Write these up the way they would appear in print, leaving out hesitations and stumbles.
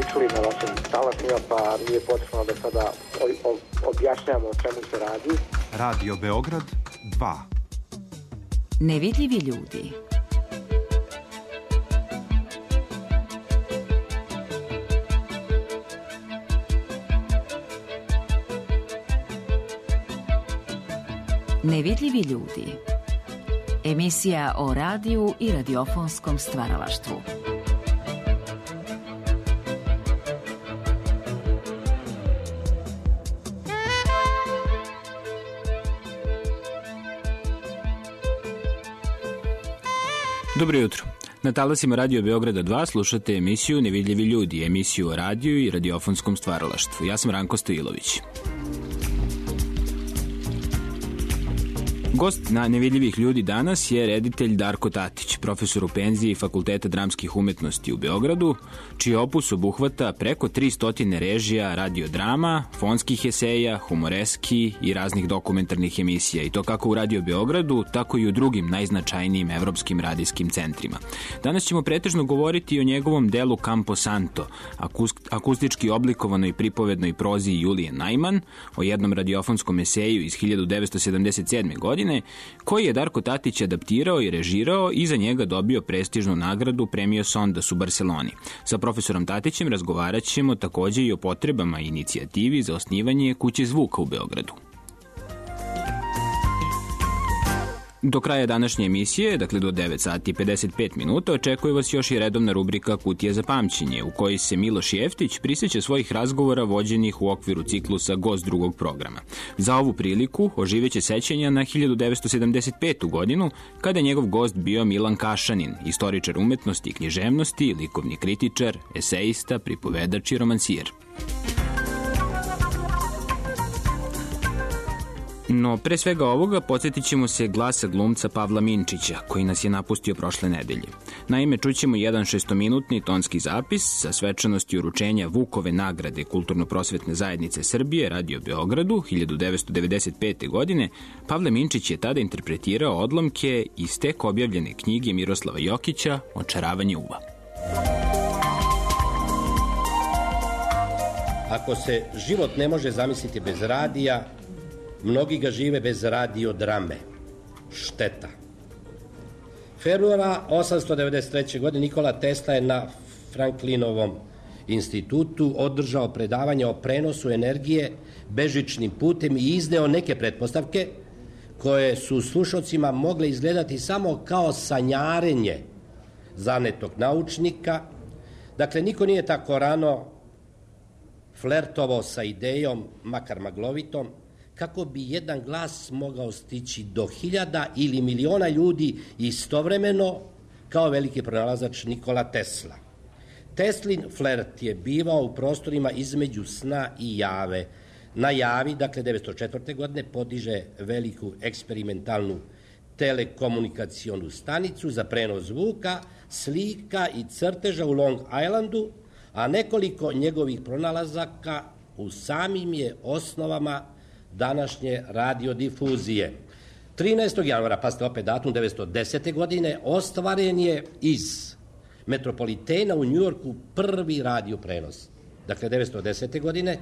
učili na vašim talasima, pa nije potrebno da sada objašnjamo o čemu se radi. Radio Beograd 2. Nevidljivi ljudi. Nevidljivi ljudi. Emisija o radiju i radiofonskom stvaralaštvu. Dobro jutro. Na talasima Radio Beograda 2 slušate emisiju Nevidljivi ljudi, emisiju o radiju i radiofonskom stvaralaštvu. Ja sam Ranko Stojilović. Gost na Nevidljivih ljudi danas je reditelj Darko Tatić, profesor u penziji Fakulteta dramskih umetnosti u Beogradu, čiji opus obuhvata preko 300 režija radiodrama, fonskih eseja, humoreski i raznih dokumentarnih emisija, i to kako u Radio Beogradu, tako i u drugim najznačajnijim evropskim radijskim centrima. Danas ćemo pretežno govoriti o njegovom delu Campo Santo, akustički oblikovanoj pripovednoj prozi Julije Najman, o jednom radiofonskom eseju iz 1977. godine, koji je Darko Tatić adaptirao i režirao i za njega dobio prestižnu nagradu Premio Sondas u Barseloni. Sa profesorom Tatićem razgovarat ćemo takođe i o potrebama i inicijativi za osnivanje Kuće zvuka u Beogradu. Do kraja današnje emisije, dakle do 9 sati i 55 minuta, očekuje vas još i redovna rubrika Kutija za pamćenje, u kojoj se Miloš Jeftić prisjeća svojih razgovora vođenih u okviru ciklusa Gost drugog programa. Za ovu priliku oživeće sećanja na 1975. godinu, kada je njegov gost bio Milan Kašanin, istoričar umetnosti i književnosti, likovni kritičar, esejista, pripovedač i romansijer. No, pre svega ovoga, podsjetit ćemo se glasa glumca Pavla Minčića, koji nas je napustio prošle nedelje. Naime, čućemo jedan 6-minutni tonski zapis sa svečanosti uručenja Vukove nagrade Kulturno-prosvetne zajednice Srbije Radio Beogradu 1995. godine. Pavle Minčić je tada interpretirao odlomke iz tek objavljene knjige Miroslava Jokića Očaravanje uva. Ako se život ne može zamisliti bez radija, mnogi ga žive bez radiodrame. Šteta. Februara 893. godine Nikola Tesla je na Franklinovom institutu održao predavanje o prenosu energije bežičnim putem i izneo neke pretpostavke koje su slušalcima mogle izgledati samo kao sanjarenje zanetog naučnika. Dakle, niko nije tako rano flertovao sa idejom, makar maglovitom, kako bi jedan glas mogao stići do 1000 ili miliona ljudi istovremeno kao veliki pronalazač Nikola Tesla. Teslin flert je bivao u prostorima između sna i jave. Na javi, dakle 1904. godine, podiže veliku eksperimentalnu telekomunikacionu stanicu za prenos zvuka, slika i crteža u Long Islandu, a nekoliko njegovih pronalazaka u samim je osnovama današnje radiodifuzije. 13. januara, pa ste opet datum, 1910. godine, ostvaren je iz Metropolitena u Njujorku prvi radioprenos. Dakle, 1910. godine,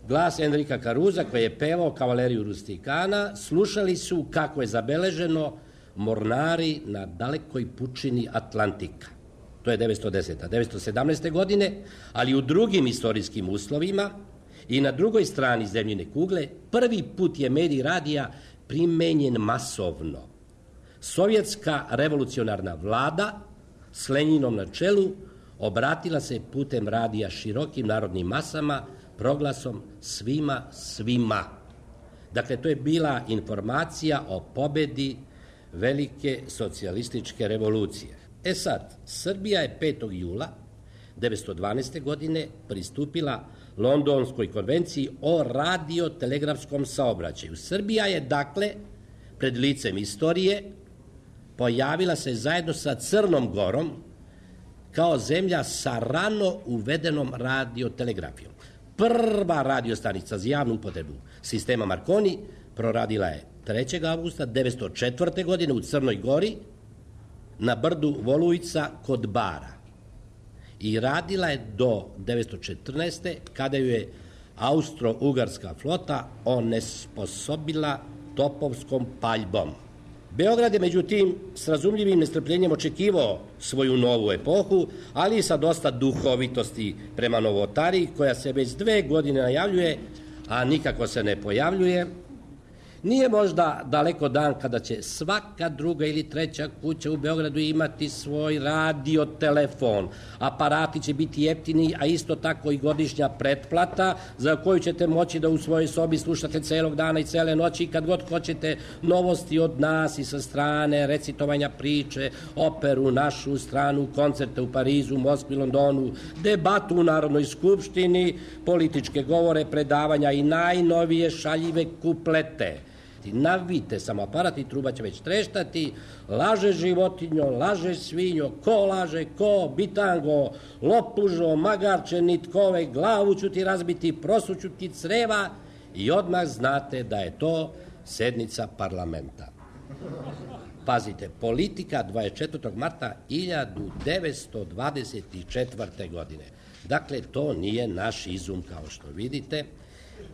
glas Enrika Caruza, koji je pevao Kavaleriju Rustikana, slušali su, kako je zabeleženo, mornari na dalekoj pučini Atlantika. To je 1910. 1917. godine, ali u drugim istorijskim uslovima i na drugoj strani zemljine kugle prvi put je medij radija primenjen masovno. Sovjetska revolucionarna vlada s Lenjinom na čelu obratila se putem radija širokim narodnim masama proglasom svima. Dakle, to je bila informacija o pobedi velike socijalističke revolucije. Sad, Srbija je 5. jula 1912. godine pristupila Londonskoj konvenciji o radiotelegrafskom saobraćaju. Srbija je, dakle, pred licem istorije pojavila se zajedno sa Crnom Gorom kao zemlja sa rano uvedenom radiotelegrafijom. Prva radiostanica za javnu upotrebu sistema Marconi proradila je 3. avgusta 1904. godine u Crnoj Gori na brdu Volujica kod Bara. i radila je do 1914. kada ju je Austro-Ugarska flota onesposobila topovskom paljbom. Beograd je međutim s razumljivim nestrpljenjem očekivao svoju novu epohu, ali i sa dosta duhovitosti prema novotariji koja se već 2 godine najavljuje, a nikako se ne pojavljuje. Nije možda daleko dan kada će svaka druga ili treća kuća u Beogradu imati svoj radiotelefon. Aparati će biti jeftini, a isto tako i godišnja pretplata za koju ćete moći da u svojoj sobi slušate celog dana i cele noći i kad god hoćete novosti od nas i sa strane, recitovanja priče, operu, našu stranu, koncerte u Parizu, Moskvi, Londonu, debatu u Narodnoj skupštini, političke govore, predavanja i najnovije šaljive kuplete. Navite sam aparat i truba će već treštati, laže životinjo, laže svinjo, ko laže, ko, bitango, lopužo, magarče, nitkove, glavu ću ti razbiti, prosuću ti creva i odmah znate da je to sednica parlamenta. Pazite, Politika 24. marta 1924. godine. Dakle, to nije naš izum, kao što vidite.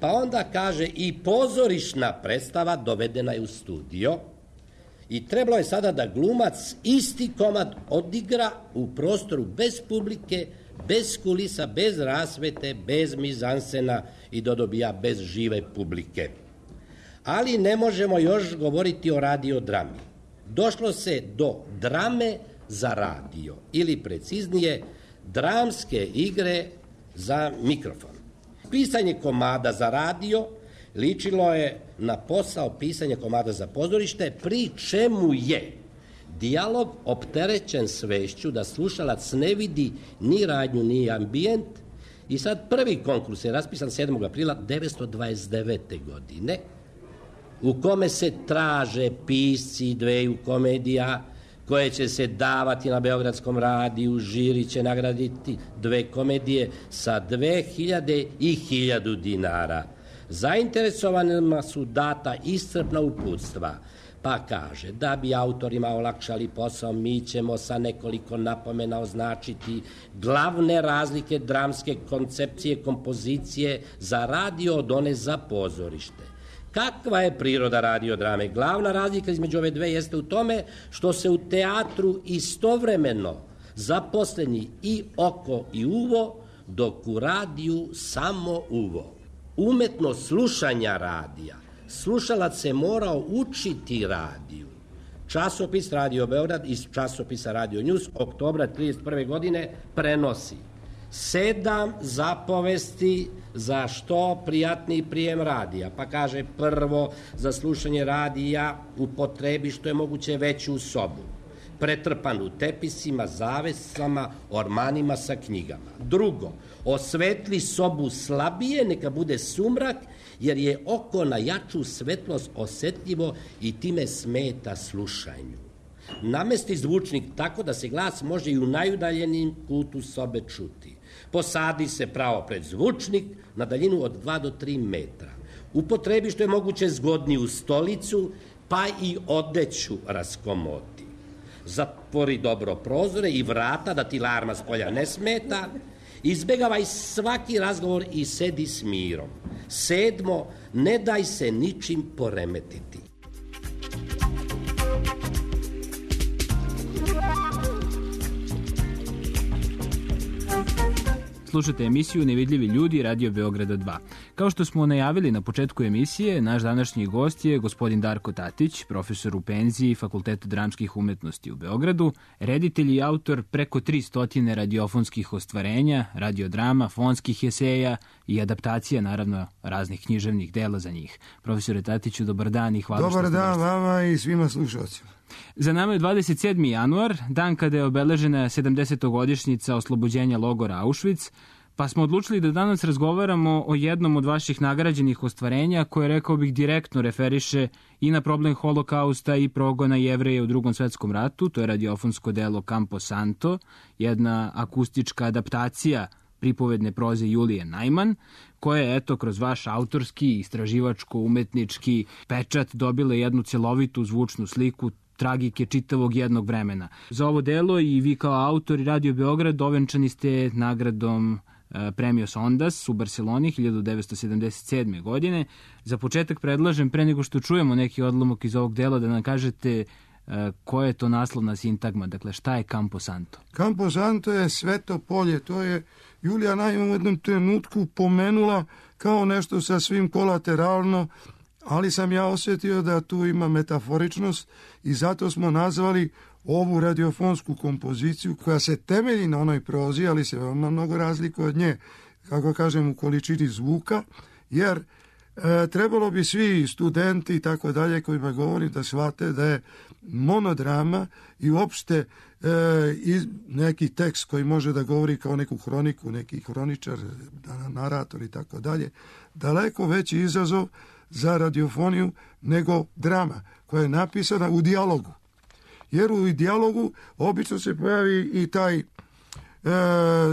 Pa onda kaže i pozorišna predstava dovedena je u studio i trebalo je sada da glumac isti komad odigra u prostoru bez publike, bez kulisa, bez rasvete, bez mizansena i dobija bez žive publike. Ali ne možemo još govoriti o radiodrami. Došlo se do drame za radio ili preciznije dramske igre za mikrofon. Pisanje komada za radio ličilo je na posao pisanja komada za pozorište, pri čemu je dijalog opterećen svešću da slušalac ne vidi ni radnju ni ambijent. I sad prvi konkurs je raspisan 7. aprila 1929. godine, u kome se traže pisci 2 komedija koje će se davati na Beogradskom radiju. Žiri će nagraditi 2 komedije sa 2000 i 1000 dinara. Zainteresovanima su data iscrpna uputstva, pa kaže da bi autorima olakšali posao, mi ćemo sa nekoliko napomena označiti glavne razlike dramske koncepcije kompozicije za radio od one za pozorište. Kakva je priroda radiodrame? Glavna razlika između ove dve jeste u tome što se u teatru istovremeno zaposleni i oko i uvo, dok u radiju samo uvo. Umetnost slušanja radija. Slušalac se morao učiti radiju. Časopis Radio Beograd iz časopisa Radio News oktobra 1931. godine prenosi 7 zapovesti za što prijatniji prijem radija. Pa kaže, prvo, za slušanje radija upotrebi što je moguće veću sobu, pretrpanu tepisima, zavesama, ormanima sa knjigama. Drugo, osvetli sobu slabije, neka bude sumrak, jer je oko na jaču svetlost osetljivo i time smeta slušanju. Namesti zvučnik tako da se glas može i u najudaljenijem kutu sobe čuti. Posadi se pravo pred zvučnik na daljinu od 2 do 3 metra. Upotrebi što je moguće zgodniju stolicu, pa i odeću raskomoti. Zatvori dobro prozore i vrata da ti larma s polja ne smeta. Izbegavaj svaki razgovor i sedi s mirom. 7. Ne daj se ničim poremetiti. Slušate emisiju Nevidljivi ljudi Radio Beograda 2. Kao što smo najavili na početku emisije, naš današnji gost je gospodin Darko Tatić, profesor u penziji Fakulteta dramskih umetnosti u Beogradu, reditelj i autor preko 300 radiofonskih ostvarenja, radiodrama, fonskih eseja i adaptacija, naravno, raznih književnih dela za njih. Profesore Tatiću, dobar dan i hvala što ste došli. Dobar dan vama i svima slušalcima. Za nama je 27. januar, dan kada je obeležena 70-godišnjica oslobođenja logora Auschwitz, pa smo odlučili da danas razgovaramo o jednom od vaših nagrađenih ostvarenja koje, rekao bih, direktno referiše i na problem holokausta i progona Jevreja u Drugom svetskom ratu. To je radiofonsko delo Campo Santo, jedna akustička adaptacija pripovedne proze Julije Najman, koja je, eto, kroz vaš autorski, istraživačko-umetnički pečat dobila jednu celovitu zvučnu sliku tragike čitavog jednog vremena. Za ovo delo i vi kao autor i Radio Beograd ovenčani ste nagradom Premios Ondas u Barceloni 1977. godine. Za početak predlažem, pre nego što čujemo neki odlomak iz ovog dela, da nam kažete koja je to naslovna sintagma, dakle šta je Campo Santo? Campo Santo je sveto polje, to je Julija Najman u jednom trenutku pomenula kao nešto sasvim kolateralno, ali sam ja osjetio da tu ima metaforičnost i zato smo nazvali ovu radiofonsku kompoziciju koja se temelji na onoj prozi, ali se veoma mnogo razlikuje od nje, kako kažem, u količini zvuka, jer trebalo bi svi studenti i tako dalje kojima govorim da shvate da je monodrama i uopšte neki tekst koji može da govori kao neku hroniku, neki hroničar, narator i tako dalje, daleko veći izazov za radiofoniju nego drama koja je napisana u dijalogu. Jer u dijalogu obično se pojavi i taj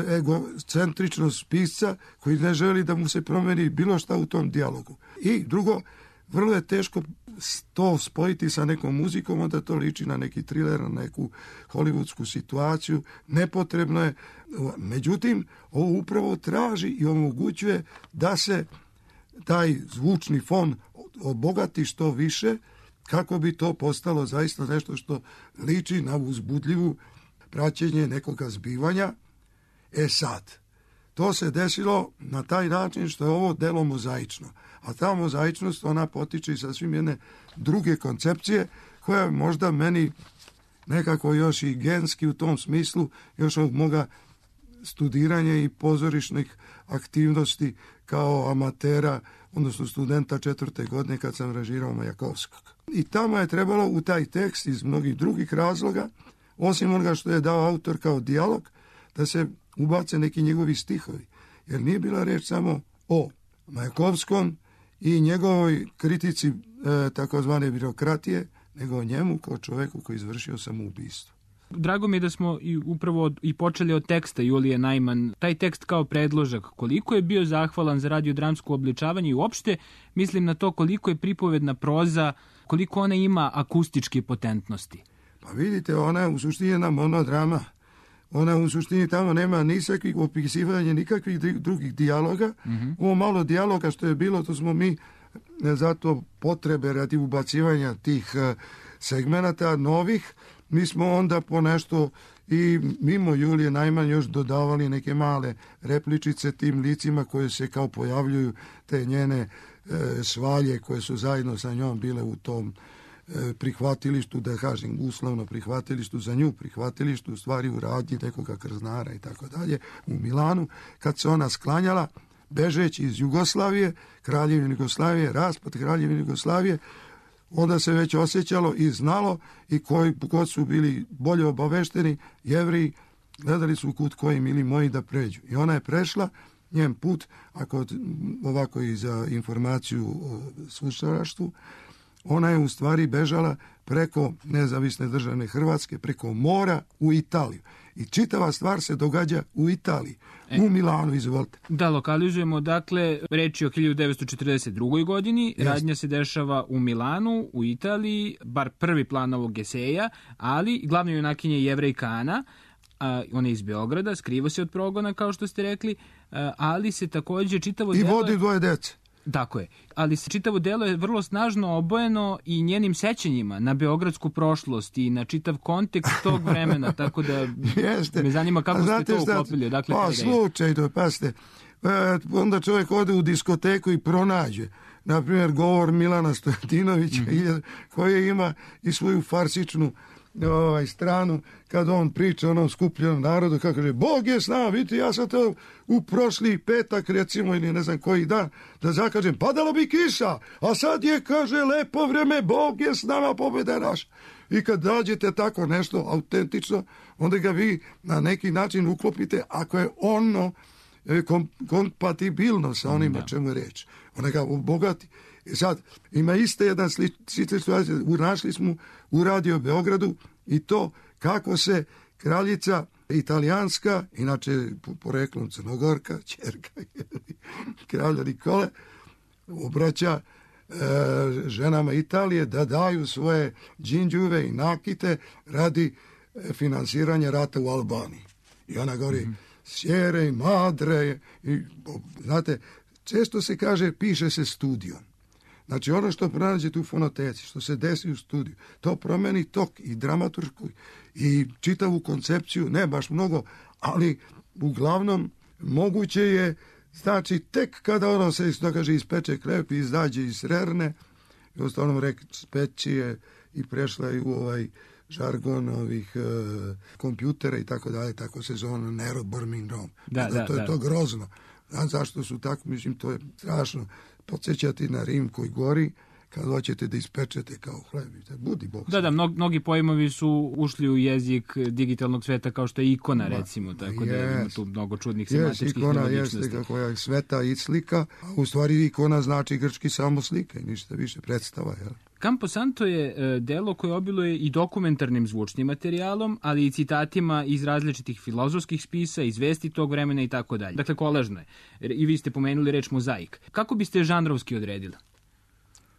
egocentričnost pisca koji ne želi da mu se promeni bilo šta u tom dijalogu. I drugo, vrlo je teško to spojiti sa nekom muzikom, onda to liči na neki thriller, na neku hollywoodsku situaciju, nepotrebno je. Međutim, ovo upravo traži i omogućuje da se taj zvučni fon obogati što više, kako bi to postalo zaista nešto što liči na uzbudljivu praćenje nekoga zbivanja. Sad, to se desilo na taj način što je ovo delo mozaično. A ta mozaičnost, ona potiče i sasvim jedne druge koncepcije, koja je možda meni nekako još i genski u tom smislu, još od moga studiranja i pozorišnih aktivnosti kao amatera, odnosno studenta 4. godine kad sam režirao Majakovskog. I tamo je trebalo u taj tekst iz mnogih drugih razloga, osim onoga što je dao autor kao dijalog, da se ubace neki njegovi stihovi. Jer nije bila reč samo o Majakovskom i njegovoj kritici takozvane birokratije, nego o njemu kao čoveku koji izvršio samoubistvo. Drago mi je da smo upravo i počeli od teksta Julije Najman. Taj tekst kao predložak, koliko je bio zahvalan za radiodramsko obličavanje i uopšte mislim na to koliko je pripovedna proza, koliko ona ima akustičke potentnosti. Pa vidite, ona je u suštini jedna monodrama. Ona u suštini tamo nema nikakvih opisivanja, nikakvih drugih dijaloga. Ovo malo dijaloga što je bilo, to smo mi zato potrebe radi ubacivanja tih segmenata novih. Mi smo onda po nešto i mimo Julije Najman još dodavali neke male repličice tim licima koje se kao pojavljuju, te njene svalje koje su zajedno sa njom bile u tom prihvatilištu, da kažem uslovno prihvatilištu, za nju prihvatilištu, u stvari u radnji nekoga krznara i tako dalje, u Milanu, kad se ona sklanjala, bežeći iz Jugoslavije, Kraljevine Jugoslavije, raspad Kraljevine Jugoslavije, onda se već osjećalo i znalo i kod su bili bolje obavešteni, Jevriji, gledali su kud koji mili moji da pređu. I ona je prešla, njen put, ako ovako i za informaciju o slušalaštvu, ona je u stvari bežala preko nezavisne državne Hrvatske, preko mora u Italiju. I čitava stvar se događa u Italiji, u Milanu, izvolite. Da, lokalizujemo, dakle, reč je o 1942. godini, radnja se dešava u Milanu, u Italiji, bar prvi plan ovog eseja, ali glavna junakinja je Jevrejka Ana, ona je iz Beograda, skriva se od progona, kao što ste rekli, ali se takođe čitavo delo... I vodi dvoje dece. Tako je, ali se čitavo delo je vrlo snažno obojeno i njenim sećanjima na beogradsku prošlost i na čitav kontekst tog vremena, tako da me zanima kako ste to uklopili. Dakle, slučajno, pasite, onda čovjek ode u diskoteku i pronađe, na primjer, govor Milana Stojatinovića, koji ima i svoju farsičnu stranu, kad on priča onom skupljenom narodu, kako kaže, Bog je s nama, vidite, ja sam to u prošli petak, recimo, ili ne znam koji dan, da zakažem, padalo bi kiša, a sad je, kaže, lepo vreme, Bog je s nama, pobjeda je naša. I kad dađete tako nešto autentično, onda ga vi na neki način uklopite, ako je ono kompatibilno sa onim o čemu je reč. Ona ga obogati. I sad, ima iste jedna slična situacija, našli smo u Radio Beogradu i to kako se kraljica italijanska, inače poreklom Crnogorka, ćerka kralja Nikole, obraća ženama Italije da daju svoje džinđuve i nakite radi finansiranja rata u Albaniji. I ona govori sjere i madre. I, znate, često se kaže piše se studijom. Znači ono što pronađete u fonoteci, što se desi u studiju, to promeni tok i dramaturšku i čitavu koncepciju, ne baš mnogo, ali uglavnom moguće je, znači tek kada ono se ispeče krep i izađe iz rerne, i ostalom speći je i prešla je u ovaj žargon ovih kompjutera i tako dalje, tako se zove neuroburning rom. To je to grozno. Znam zašto su tako, mislim, to je strašno. Podsjećati na Rim koji gori, kad hoćete da ispečete kao hleb. Budi Bog. Mnogi pojmovi su ušli u jezik digitalnog sveta, kao što je ikona, recimo, tako da ima tu mnogo čudnih semantičkih nelogičnosti. Jeste, kako je sveta i slika, a u stvari ikona znači grčki samo slika i ništa više, predstava, jel? Camposanto je delo koje obiluje i dokumentarnim zvučnim materijalom, ali i citatima iz različitih filozofskih spisa, iz vesti tog vremena i tako dalje. Dakle, kolažno je. I vi ste pomenuli reč mozaik. Kako biste žanrovski odredili?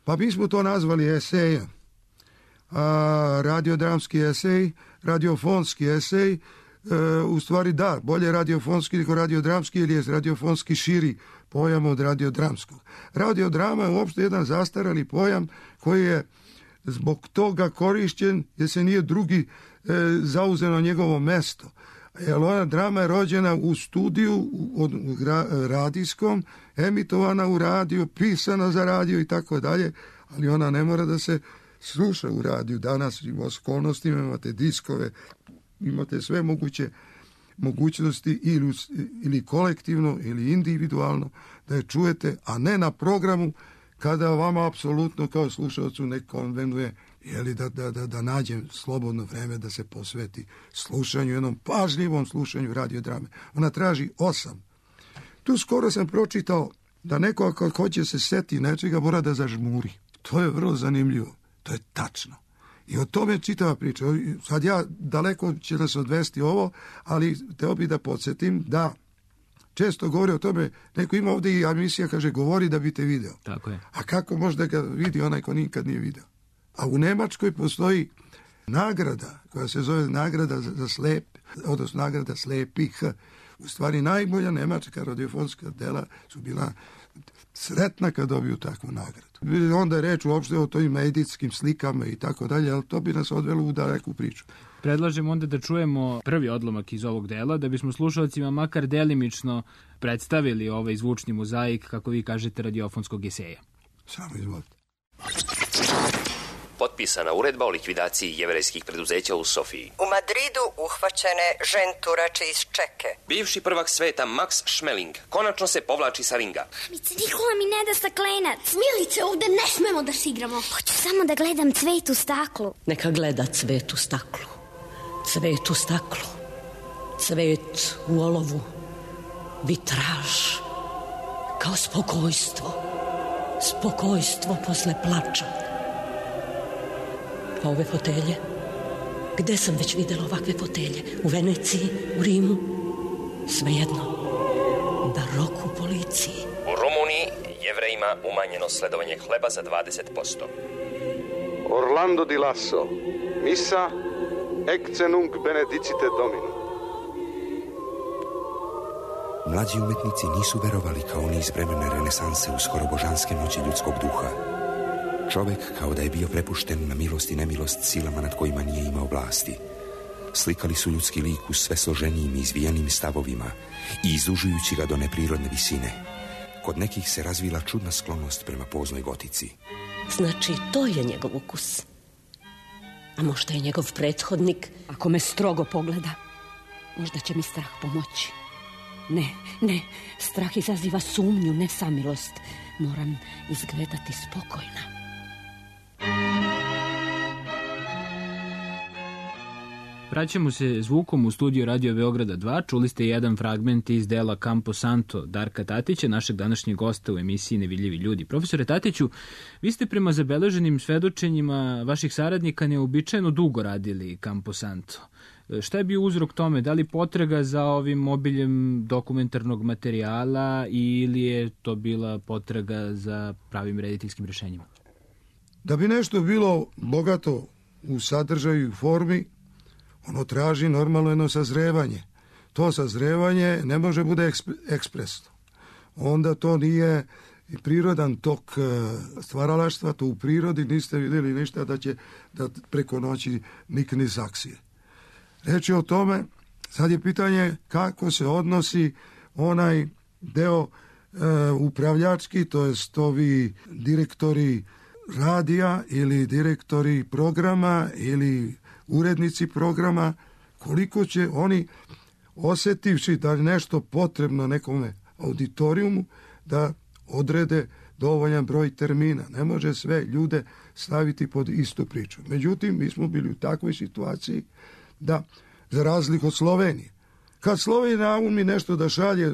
Pa mi smo to nazvali esejem. Radiodramski esej, radiofonski esej, u stvari da, bolje radiofonski nego radiodramski, jer je radiofonski širi pojam od radiodramskog. Radiodrama je uopšte jedan zastarali pojam koji je zbog toga korišćen jer se nije drugi zauzeo njegovo mesto. Jer ona drama je rođena u studiju radijskom, emitovana u radio, pisana za radio i tako dalje, ali ona ne mora da se sluša u radiju. Danas u okolnostima imate diskove, imate sve mogućnosti ili kolektivno ili individualno da je čujete, a ne na programu kada vama apsolutno kao slušalcu ne konvenuje da nađem slobodno vreme da se posveti slušanju, jednom pažljivom slušanju radiodrame. Ona traži 8. Tu skoro sam pročitao da neko ako hoće se seti nečega mora da zažmuri. To je vrlo zanimljivo. To je tačno. I o tome čitava priča. Sad daleko će nas odvesti ovo, ali teo bi da podsjetim da često govori o tome, neko ima ovdje i emisija, kaže, govori da bi te video. Tako je. A kako može da ga vidi onaj ko nikad nije video? A u Nemačkoj postoji nagrada koja se zove nagrada za slep, odnosno nagrada slepih. U stvari najbolja nemačka radiofonska dela su bila sretna kad dobiju takvu nagradu. Onda je reč uopšte o tojim medijskim slikama i tako dalje, ali to bi nas odvelo u daleku priču. Predlažem onda da čujemo prvi odlomak iz ovog dela, da bismo slušalcima makar delimično predstavili ovaj zvučni mozaik, kako vi kažete, radiofonskog eseja. Samo izvolite. Potpisana uredba o likvidaciji jevrejskih preduzeća u Sofiji. U Madridu uhvaćene ženturače iz Čeke. Bivši prvak sveta Max Schmeling konačno se povlači sa ringa. Mamice, Nikola mi ne da staklenac. Milice, ovde ne smemo da se igramo. Hoću samo da gledam cvet u staklu. Neka gleda cvet u staklu. Cvet u staklu. Cvet u olovu. Vitraž. Kao spokojstvo. Spokojstvo posle plača. A ove fotelje? Gde sam već videla ovakve fotelje? U Veneciji, u Rimu? Svejedno. Barok u policiji. U Rumuniji Jevrejima umanjeno sledovanje hleba za 20%. Orlando di Lasso. Misa ecce nunc benedicite Dominum. Mlađi umetnici nisu verovali kao oni iz vremena renesanse u skoro božanske moći ljudskog duha. Čovek kao da je bio prepušten na milost i nemilost silama nad kojima nije imao vlasti. Slikali su ljudski lik u sve složenijim i izvijenim stavovima i izužujući ga do neprirodne visine. Kod nekih se razvila čudna sklonost prema poznoj gotici. Znači, to je njegov ukus. A možda je njegov prethodnik, ako me strogo pogleda, možda će mi strah pomoći. Ne, strah izaziva sumnju, ne samilost. Moram izgledati spokojna. Vraćamo se zvukom u studiju Radio Beograda 2. Čuli ste jedan fragment iz dela Camposanto Darka Tatića, našeg današnjeg gosta u emisiji Nevidljivi ljudi. Profesore Tatiću, vi ste prema zabeleženim svedočenjima vaših saradnika neobičajeno dugo radili Camposanto. Šta je bio uzrok tome? Da li potraga za ovim obiljem dokumentarnog materijala ili je to bila potraga za pravim rediteljskim rješenjima? Da bi nešto bilo bogato u sadržaju i formi, ono traži normalno jedno sazrevanje. To sazrevanje ne može bude ekspresno. Onda to nije prirodan tok stvaralaštva, to u prirodi niste vidjeli ništa da će da preko noći nikne iz akcije. Reč je o tome, sad je pitanje kako se odnosi onaj deo upravljački, to jest ovi direktori radija ili direktori programa ili urednici programa, koliko će oni osjetivši da je nešto potrebno nekome auditorijumu, da odrede dovoljan broj termina. Ne može sve ljude staviti pod istu priču. Međutim, mi smo bili u takvoj situaciji da, za razliku od Slovenije, kad Slovenija naumi nešto da šalje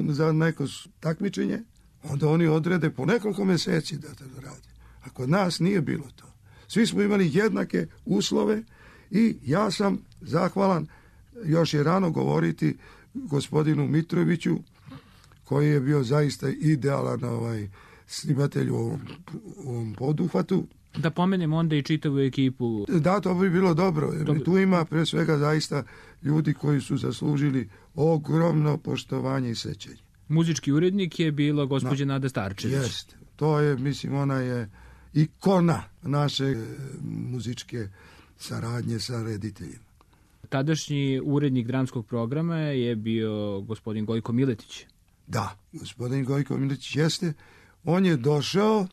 za neko takmičenje, onda oni odrede po nekoliko mjeseci da to radi. A kod nas nije bilo to. Svi smo imali jednake uslove i ja sam zahvalan, još je rano govoriti, gospodinu Mitroviću, koji je bio zaista idealan snimatelj u ovom poduhvatu. Da pomenemo onda i čitavu ekipu. Da, to bi bilo dobro. Tu ima pre svega zaista ljudi koji su zaslužili ogromno poštovanje i sećanje. Muzički urednik je bila gospođa Nada Starčević. Jeste. To je, mislim, ona je ikona naše muzičke saradnje sa rediteljima. Tadašnji urednik dramskog programa je bio gospodin Gojko Miletić. Da, gospodin Gojko Miletić jeste. On je došao,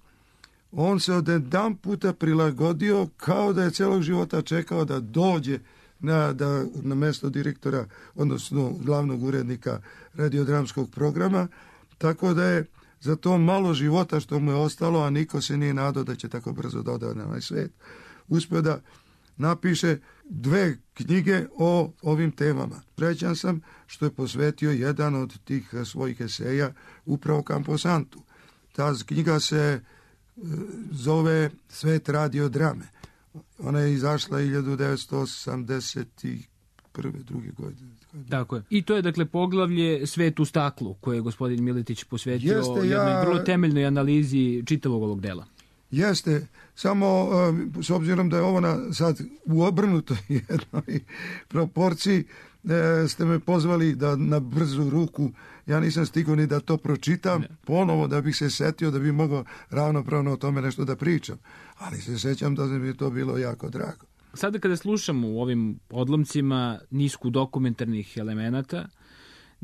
on se od jedan puta prilagodio kao da je celog života čekao da dođe na mesto direktora, odnosno glavnog urednika radiodramskog programa, tako da je za to malo života što mu je ostalo, a niko se nije nadao da će tako brzo dodati na ovaj svet, uspio da napiše 2 knjige o ovim temama. Srećan sam što je posvetio jedan od tih svojih eseja upravo Camposantu. Ta knjiga se zove Svet radiodrame. Ona je izašla 1981. druge godine. Tako je. I to je dakle poglavlje Svet u staklu koje je gospodin Miletić posvetio jednoj vrlo temeljnoj analizi čitavog ovog dela. Jeste, samo s obzirom da je ovo sad u obrnutoj jednoj proporciji, ste me pozvali da na brzu ruku, ja nisam stigao ni da to pročitam ponovo da bih se setio da bi mogao ravnopravno o tome nešto da pričam, ali se sećam da mi je to bilo jako drago. Sada kada slušamo u ovim odlomcima nisku dokumentarnih elemenata,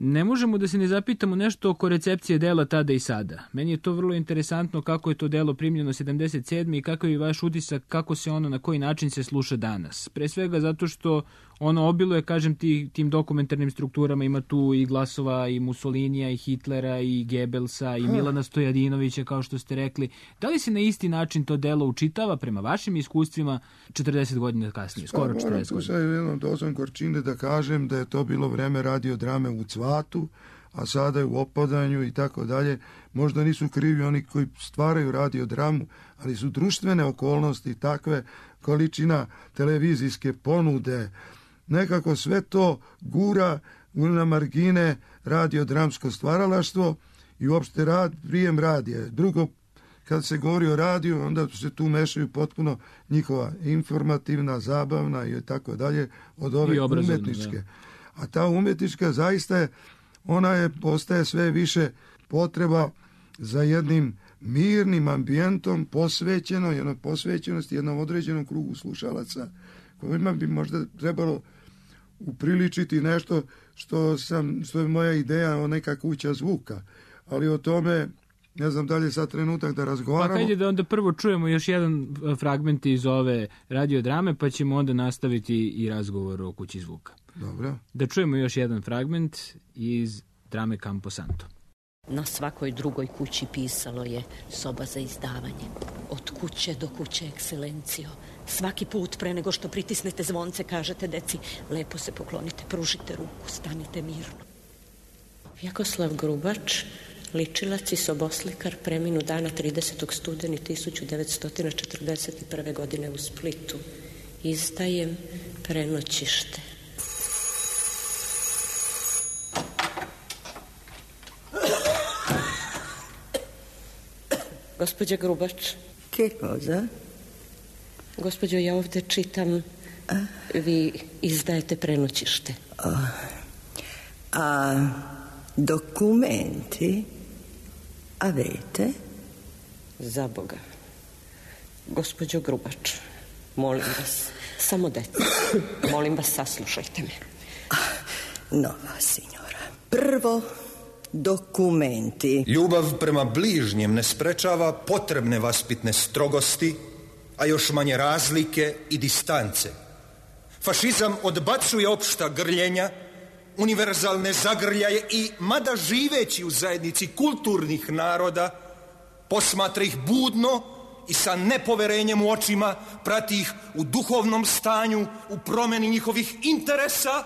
ne možemo da se ne zapitamo nešto oko recepcije dela tada i sada. Meni je to vrlo interesantno kako je to delo primljeno 77. i kako je vaš utisak kako se ono na koji način se sluša danas. Pre svega zato što ono obiluje, kažem, tim dokumentarnim strukturama, ima tu i glasova i Mussolinija i Hitlera i Goebbelsa i Milana Stojadinovića, kao što ste rekli. Da li se na isti način to delo učitava prema vašim iskustvima 40 godina kasnije, skoro 40 godina? Moram tu sa jednom dozom gorčine da kažem da je to bilo vreme radiodrame u cvatu, a sada je u opadanju i tako dalje. Možda nisu krivi oni koji stvaraju radiodramu, ali su društvene okolnosti takve, količina televizijske ponude, nekako sve to gura na margine radiodramsko stvaralaštvo i uopšte prijem radija. Drugo, kad se govori o radiju, onda se tu mešaju potpuno njihova informativna, zabavna i tako dalje od ove umetničke. Da. A ta umetnička zaista je, postaje sve više potreba za jednim mirnim ambijentom, posvećenosti jednom određenom krugu slušalaca, kojima bi možda trebalo upriličiti nešto što je moja ideja o neka kuća zvuka. Ali o tome ne znam da li je sad trenutak da razgovaramo. Pa hajde da onda prvo čujemo još jedan fragment iz ove radiodrame, pa ćemo onda nastaviti i razgovor o kući zvuka. Dobro. Da čujemo još jedan fragment iz drame Camposanto. Na svakoj drugoj kući pisalo je soba za izdavanje. Od kuće do kuće, ekscelencijo. Svaki put pre nego što pritisnete zvonce kažete deci, lepo se poklonite, pružite ruku, stanite mirno. Vjekoslav Grubač, ličilac i soboslikar, preminu dana 30. studeni 1941. godine u Splitu. Izdajem Prenoćište. Gospođa Grubač. Che cosa? Gospođo, ja ovde čitam, vi izdajete prenoćište. A documenti avete? Za Boga. Gospođo Grubač, molim vas, samo deca, molim vas, saslušajte me. No, signora. Prvo, dokumenti. Ljubav prema bližnjem ne sprečava potrebne vaspitne strogosti, a još manje razlike i distance. Fašizam odbacuje opšta grljenja, univerzalne zagrljaje i, mada živeći u zajednici kulturnih naroda, posmatra ih budno i sa nepoverenjem u očima, prati ih u duhovnom stanju, u promeni njihovih interesa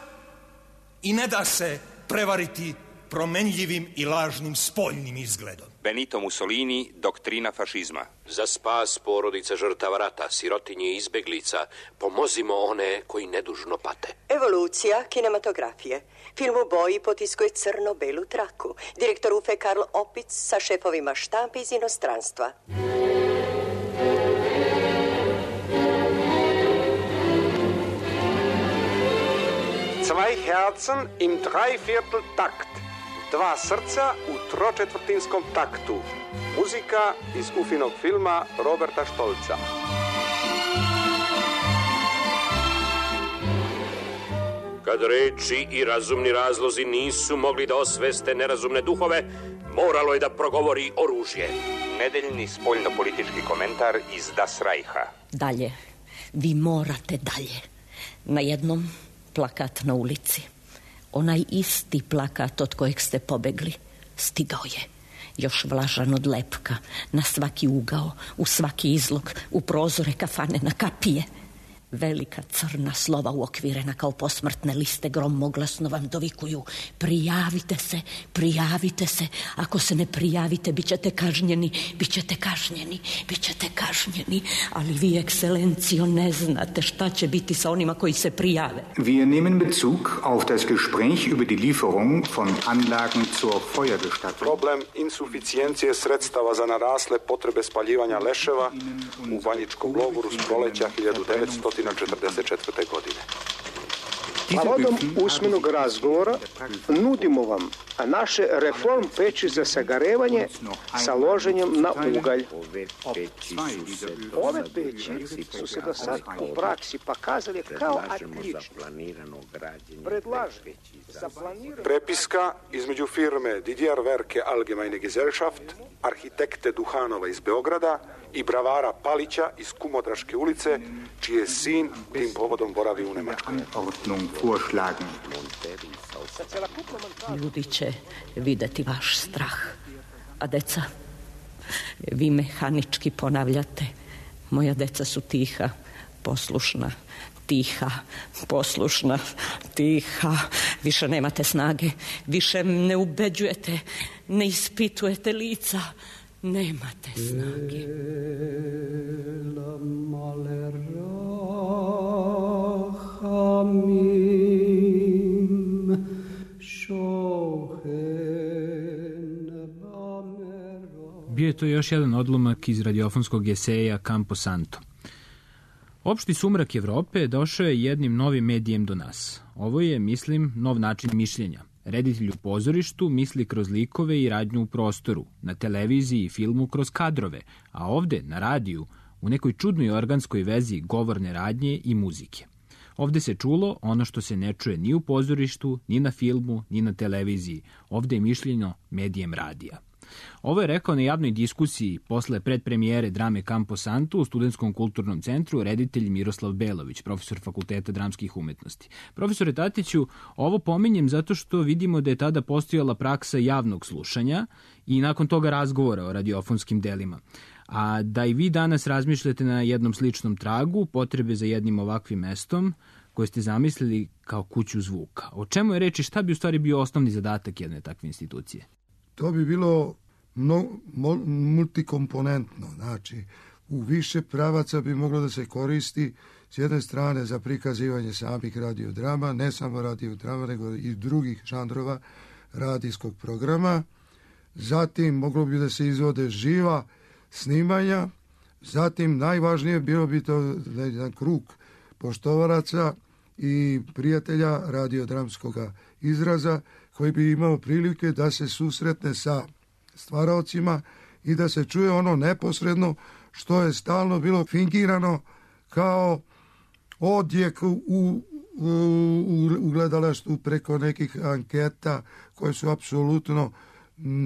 i ne da se prevariti promenljivim i lažnim spoljnim izgledom. Benito Mussolini, doktrina fašizma. Za spas porodica žrtava rata, sirotinje i izbeglica, pomozimo one koji nedužno pate. Evolucija kinematografije. Film u boji potiskuje crno-belu traku. Direktor UFE Karl Opic sa šefovima štampe iz inostranstva. Zwei Herzen im Dreiviertel Takt. Dva srca u tročetvrtinskom taktu. Muzika iz Ufinog filma Roberta Štolca. Kad reči i razumni razlozi nisu mogli da osveste nerazumne duhove, moralo je da progovori oružje. Nedeljni spoljno-politički komentar iz Das Reicha. Dalje, vi morate dalje. Na jednom plakat na ulici. Onaj isti plakat od kojeg ste pobegli stigao je, još vlažan od lepka, na svaki ugao, u svaki izlog, u prozore kafane, na kapije. Velika crna slova uokvirena kao posmrtne liste gromoglasno vam dovikuju: prijavite se, prijavite se, ako se ne prijavite bit ćete kažnjeni, bit ćete kažnjeni, bit ćete kažnjeni. Ali vi, ekscelencijo, ne znate šta će biti sa onima koji se prijave. Wir nehmen Bezug auf das Gespräch über die Lieferung von Anlagen zur Feuerbestattung. Problem insuficijencije sredstava za narasle potrebe spaljivanja leševa u Banjičkom logoru s proleća 1944. godine. Povodom usmenog razgovora nudimo vam naše reform peći za sagarevanje sa loženjem na ugalj. Ove peći su se do sad u praksi pokazali kao odlične. Predlažem za planiranje... Prepiska između firme Didier Werke Allgemeine Gesellschaft, arhitekte Duhanova iz Beograda i bravara Palića iz Kumodraške ulice, čiji je sin tim povodom boravi u Nemačkoj. Ljudi će videti vaš strah. A deca, vi mehanički ponavljate: moja deca su tiha, poslušna, tiha, poslušna, tiha. Više nemate snage, više ne ubeđujete, ne ispitujete lica. Nemate snage. Bio je to još jedan odlomak iz radiofonskog eseja Campo Santo. Opšti sumrak Evrope došao je jednim novim medijem do nas. Ovo je, mislim, nov način mišljenja. Reditelj u pozorištu misli kroz likove i radnju u prostoru, na televiziji i filmu kroz kadrove, a ovde, na radiju, u nekoj čudnoj organskoj vezi govorne radnje i muzike. Ovde se čulo ono što se ne čuje ni u pozorištu, ni na filmu, ni na televiziji. Ovde je mišljeno medijem radija. Ovo je rekao na javnoj diskusiji posle predpremijere drame Campo Santo u Studentskom kulturnom centru reditelj Miroslav Belović, profesor Fakulteta dramskih umetnosti. Profesore Tatiću, ovo pominjem zato što vidimo da je tada postojala praksa javnog slušanja i nakon toga razgovora o radiofonskim delima. A da i vi danas razmišljate na jednom sličnom tragu, potrebe za jednim ovakvim mestom koje ste zamislili kao kuću zvuka. O čemu je reč i šta bi u stvari bio osnovni zadatak jedne takve institucije? To bi bilo multikomponentno, znači u više pravaca bi moglo da se koristi s jedne strane za prikazivanje samih radiodrama, ne samo radiodrama, nego i drugih žanrova radijskog programa. Zatim moglo bi da se izvode živa snimanja. Zatim najvažnije bilo bi to jedan krug poštovalaca i prijatelja radiodramskog izraza koji bi imao prilike da se susretne sa stvaraocima i da se čuje ono neposredno što je stalno bilo fingirano kao odjek u gledalaštvu preko nekih anketa koje su apsolutno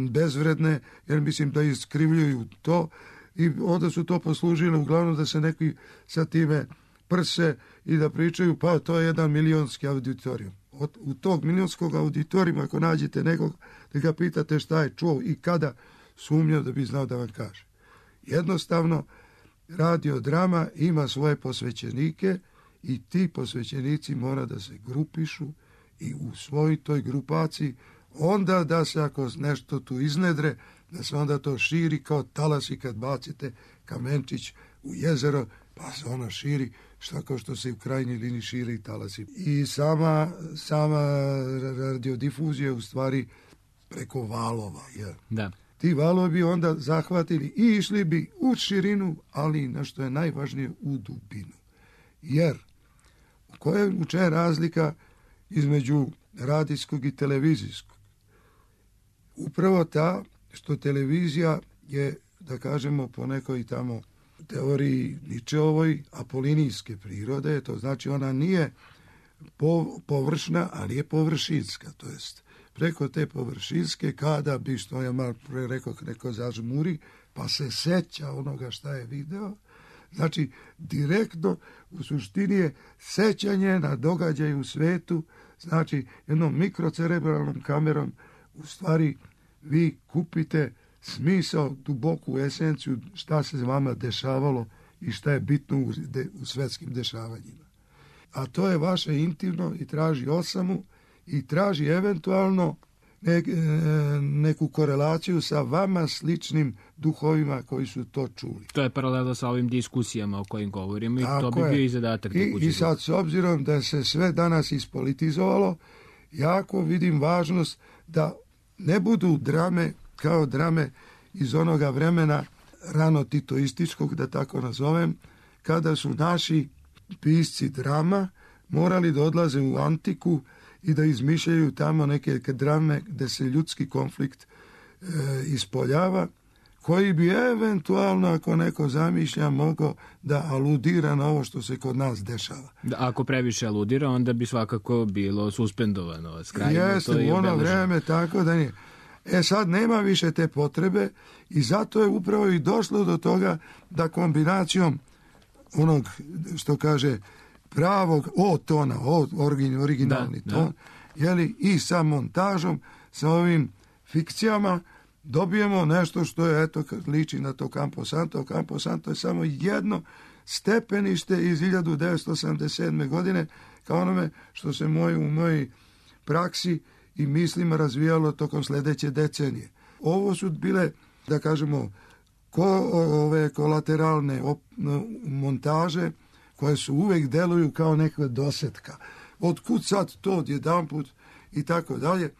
bezvredne, jer mislim da iskrivljuju to i onda su to poslužile uglavnom da se neki sa time prse i da pričaju pa to je 1 milionski auditorijum. U tog milionskog auditorijuma ako nađete nekog da ga pitate šta je čuo i kada, sumnjao da bi znao da vam kaže. Jednostavno radiodrama ima svoje posvećenike i ti posvećenici mora da se grupišu i u svojoj toj grupaciji onda da se ako nešto tu iznedre da se onda to širi kao talasi kad bacite kamenčić u jezero pa se ono širi kao što se u krajnjoj liniji širi i talasi. I sama radiodifuzija u stvari preko valova. Ja. Da. Ti valovi bi onda zahvatili i išli bi u širinu, ali na što je najvažnije u dubinu. Jer u čemu je razlika između radijskog i televizijskog? Upravo ta što televizija je, da kažemo, po nekoj tamo teoriji Ničeovoj apolinijske prirode, to znači ona nije površna, ali je površinska, to jest preko te površinske kada bi, što ja malo pre rekao, neko zažmuri, pa se seća onoga šta je video, znači direktno u suštini je sećanje na događaj u svetu, znači jednom mikrocerebralnom kamerom u stvari vi kupite smisao, duboku esenciju šta se vama dešavalo i šta je bitno u svetskim dešavanjima. A to je vaše intimno i traži osamu i traži eventualno neku korelaciju sa vama sličnim duhovima koji su to čuli. To je paralela sa ovim diskusijama o kojim govorimo i to bi bio i zadatak. I sad s obzirom da se sve danas ispolitizovalo, jako vidim važnost da ne budu drame kao drame iz onoga vremena rano titoističkog, da tako nazovem, kada su naši pisci drama morali da odlaze u antiku i da izmišljaju tamo neke drame gde se ljudski konflikt ispoljava, koji bi eventualno, ako neko zamišlja, mogao da aludira na ovo što se kod nas dešava. Ako previše aludira, onda bi svakako bilo suspendovano. Jeste, u ono vreme, tako da nije. Sad nema više te potrebe i zato je upravo i došlo do toga da kombinacijom onog, što kaže, pravog O-tona, originalni ton, jeli, i sa montažom, sa ovim fikcijama, dobijemo nešto što je, eto, liči na to Campo Santo. Campo Santo je samo jedno stepenište iz 1987. godine, kao onome što se u mojoj praksi i mislima razvijalo tokom sledeće decenije. Ovo su bile, da kažemo, ove kolateralne montaže koje su uvek deluju kao neka dosetka. Otkud sad to odjedanput i tako dalje.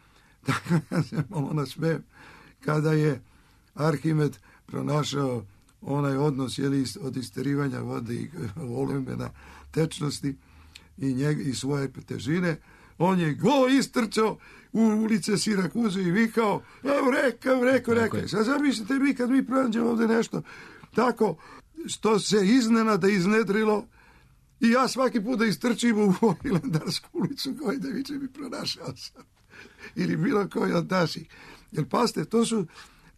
Tako da se malo nasmejem kada je Arhimed pronašao onaj odnos od isterivanja vode i volumena tečnosti i svoje težine. On je go istrčao u ulice Sirakuze i vikao, rekao. Sad zamislite mi kad mi pronađemo ovde nešto tako što se iznenada iznedrilo i ja svaki put da istrčim u Ilandarsku ulicu koji da viče mi pronašao sam. Ili bilo koji od naših. Jer pazite, to su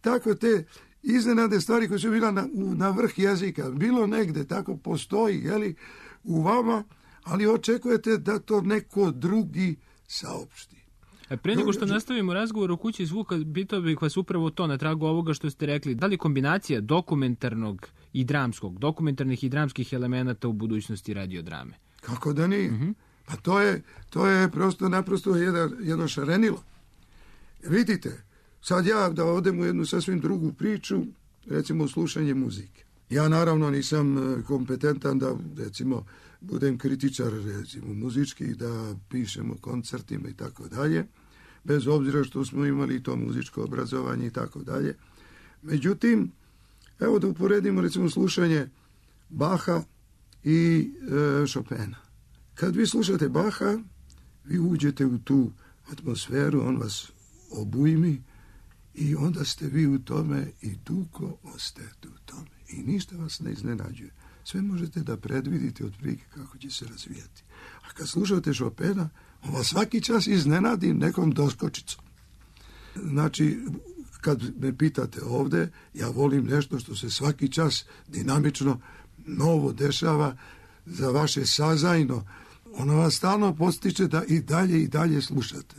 tako te iznenade stvari koje su bila na vrh jezika. Bilo negde, tako postoji, jeli, u vama, ali očekujete da to neko drugi saopšti. Pre nego što nastavimo razgovor o kući zvuka, pitao bih vas upravo to na tragu ovoga što ste rekli. Da li kombinacija dokumentarnog i dramskog, dokumentarnih i dramskih elemenata u budućnosti radiodrame? Kako da nije? Pa to je naprosto jedno šarenilo. Vidite, sad ja da odem u jednu sasvim drugu priču, recimo slušanje muzike. Ja naravno nisam kompetentan da, recimo, budem kritičar, recimo, muzički, da pišem o koncertima i tako dalje, bez obzira što smo imali to muzičko obrazovanje i tako dalje. Međutim, Evo da uporedimo recimo slušanje Bacha i Chopina. Kad vi slušate Bacha, vi uđete u tu atmosferu, on vas obujmi i onda ste vi u tome i dugo ostajete u tome. I ništa vas ne iznenađuje. Sve možete da predvidite otprilike kako će se razvijati. A kad slušate Chopina, on vas svaki čas iznenadi nekom doskočicom. Znači, kad me pitate ovde, ja volim nešto što se svaki čas dinamično novo dešava za vaše sazajno. Ono vas stalno postiče da i dalje slušate.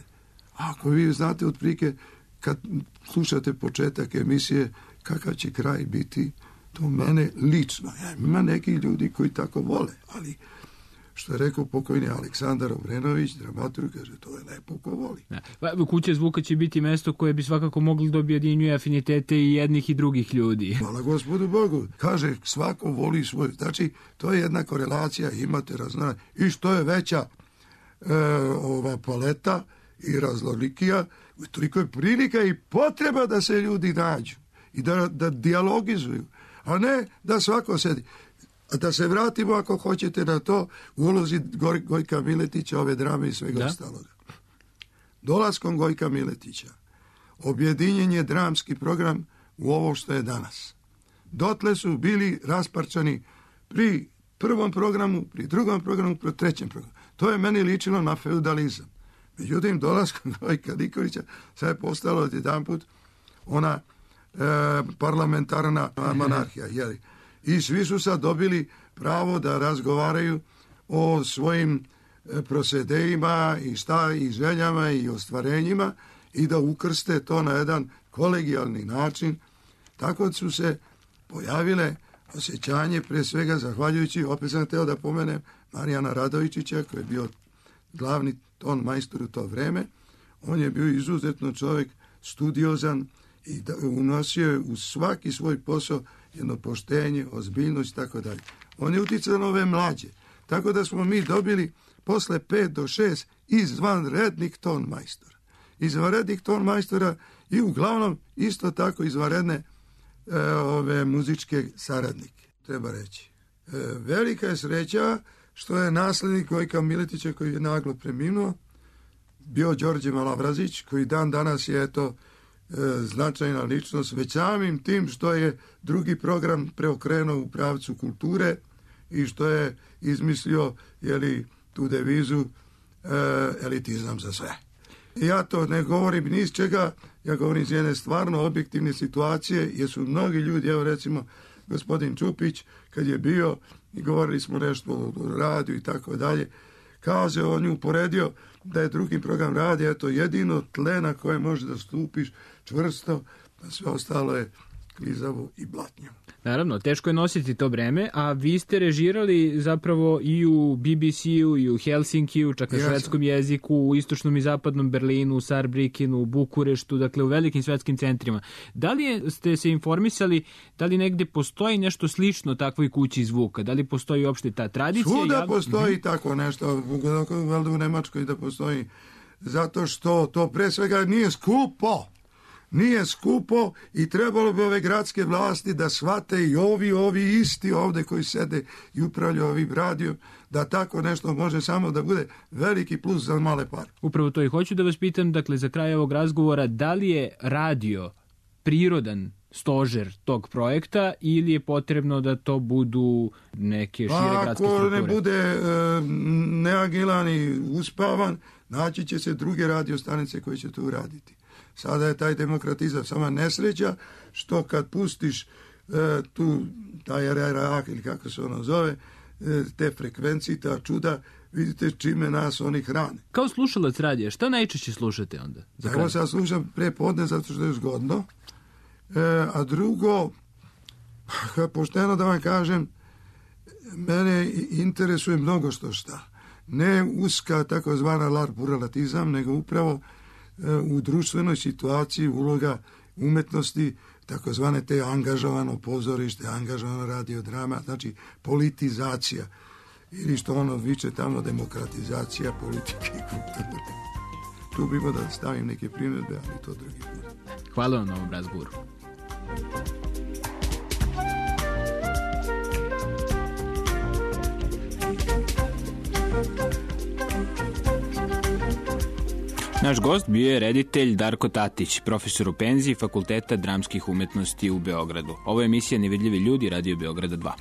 A ako vi znate otprilike kad slušate početak emisije kakav će kraj biti, to mene lično. Ima neki ljudi koji tako vole, ali što je rekao pokojni Aleksandar Obrenović, dramaturg, kaže, to je lepo ko voli. Da. Kuća zvuka će biti mesto koje bi svakako mogli da objedinjuje afinitete i jednih i drugih ljudi. Hvala gospodu Bogu. Kaže, svako voli svoj. Znači, to je jedna korelacija, imate raznora. I što je veća ova paleta i raznolikija, toliko je prilika i potreba da se ljudi nađu i da dijalogizuju, a ne da svako sedi. Da se vratimo, ako hoćete, na to u ulozi Gojka Miletića, ove drame i svega ostaloga. Dolaskom Gojka Miletića objedinjen je dramski program u ovo što je danas. Dotle su bili rasparčani pri prvom programu, pri drugom programu, pri trećem programu. To je meni ličilo na feudalizam. Međutim, dolaskom Gojka Nikolića sad je postalo odjedanput ona parlamentarna monarhija, jeli? I svi su sad dobili pravo da razgovaraju o svojim prosedejima i željama i ostvarenjima i da ukrste to na jedan kolegijalni način. Tako su se pojavile osjećanje, pre svega zahvaljujući, opet sam hteo da pomenem, Marijana Radovičića, koji je bio glavni ton majstor u to vreme. On je bio izuzetno čovjek, studiozan i unosio je u svaki svoj posao jedno poštenje, ozbiljnost i tako dalje. On je uticao na ove mlađe. Tako da smo mi dobili posle 5 do 6 izvanrednih ton majstora. Izvanrednih ton majstora i uglavnom isto tako izvanredne ove muzičke saradnike, treba reći. Velika je sreća što je naslednik Gojka Miletića, koji je naglo preminuo, bio Đorđe Malavrazić, koji dan danas je značajna ličnost, već samim tim što je drugi program preokrenuo u pravcu kulture i što je izmislio tu devizu elitizam za sve. Ja to ne govorim ni iz čega, ja govorim iz jedne stvarno objektivne situacije, jer su mnogi ljudi, evo recimo gospodin Čupić, kad je bio i govorili smo nešto o radiju i tako dalje, kaže, on je uporedio da je drugi program radija, to jedino tle na koje može da stupiš čvrsto, a sve ostalo je klizavo i blatnjavo. Naravno, teško je nositi to breme, a vi ste režirali zapravo i u BBC-u, i u Helsinkiju, čak na švedskom jeziku, u istočnom i zapadnom Berlinu, u Saarbrückenu, u Bukureštu, dakle u velikim svetskim centrima. Da li ste se informisali, da li negde postoji nešto slično takvoj kući zvuka? Da li postoji uopšte ta tradicija? Svuda postoji tako nešto, valjda u Nemačkoj da postoji, zato što to pre svega nije skupo. Nije skupo i trebalo bi ove gradske vlasti da shvate i ovi isti ovde koji sede i upravljaju ovim radijom, da tako nešto može samo da bude veliki plus za male pare. Upravo to i hoću da vas pitam, dakle, za kraj ovog razgovora, da li je radio prirodan stožer tog projekta ili je potrebno da to budu neke šire gradske strukture? Ako ne bude neagilan i uspavan, naći će se druge radiostanice koje će to uraditi. Sada je taj demokratizam sama nesreća što kad pustiš taj RRA ili kako se ono zove, te frekvencije, ta čuda, vidite čime nas oni hrane. Kao slušalac radija, šta najčešće slušate onda? Evo sad slušam prepodne zato što je zgodno, a drugo, pošteno da vam kažem, mene interesuje mnogo što šta. Ne uska takozvana larpurrelatizam, nego upravo u društvenoj situaciji uloga umetnosti, takozvane te angažovano pozorište, angažovano radiodrama, znači politizacija ili što ono viče tamo demokratizacija politike i kulture. Tu bih da stavim neke primjedbe, ali to drugi put. Hvala vam na ovom razgovoru. Naš gost bio je reditelj Darko Tatić, profesor u penziji Fakulteta dramskih umetnosti u Beogradu. Ovo je emisija Nevidljivi ljudi, Radio Beograda 2.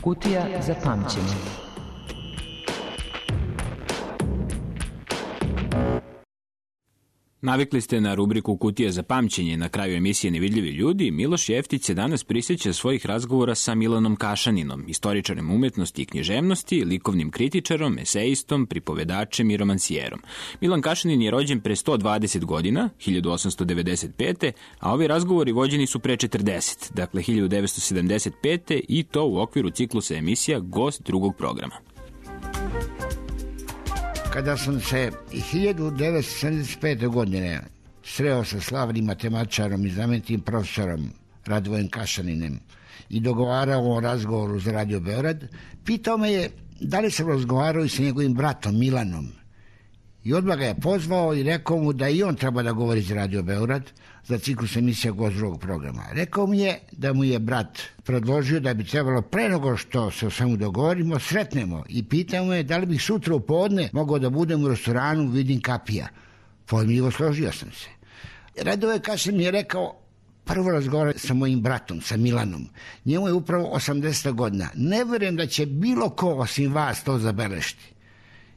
Kutija za pamćenje. Navikli ste na rubriku Kutija za pamćenje. Na kraju emisije Nevidljivi ljudi, Miloš Jeftić se danas prisjeća svojih razgovora sa Milanom Kašaninom, istoričarem umetnosti i književnosti, likovnim kritičarom, esejistom, pripovedačem i romansijerom. Milan Kašanin je rođen pre 120 godina, 1895. a ovi razgovori vođeni su pre 40, dakle 1975. i to u okviru ciklusa emisija Gost drugog programa. Kada sam se 1975. godine sreo sa slavnim matematičarom i znamenitim profesorom Radvojem Kašaninem i dogovarao o razgovoru za Radio Beograd, pitao me je da li sam razgovarao i sa njegovim bratom Milanom. I odmah ga je pozvao i rekao mu da i on treba da govori za Radio Beograd za ciklus emisija Gost drugog programa. Rekao mi je da mu je brat predložio da bi trebalo pre nego što se o svemu dogovorimo, sretnemo i pitao me da li bih sutra u podne mogao da budem u restoranu Vidim Kapija. Pojmljivo složio sam se. Radove Kašin mi je rekao, prvo razgovara sa mojim bratom, sa Milanom. Njemu je upravo 80 godina. Ne verujem da će bilo ko osim vas to zabeležiti.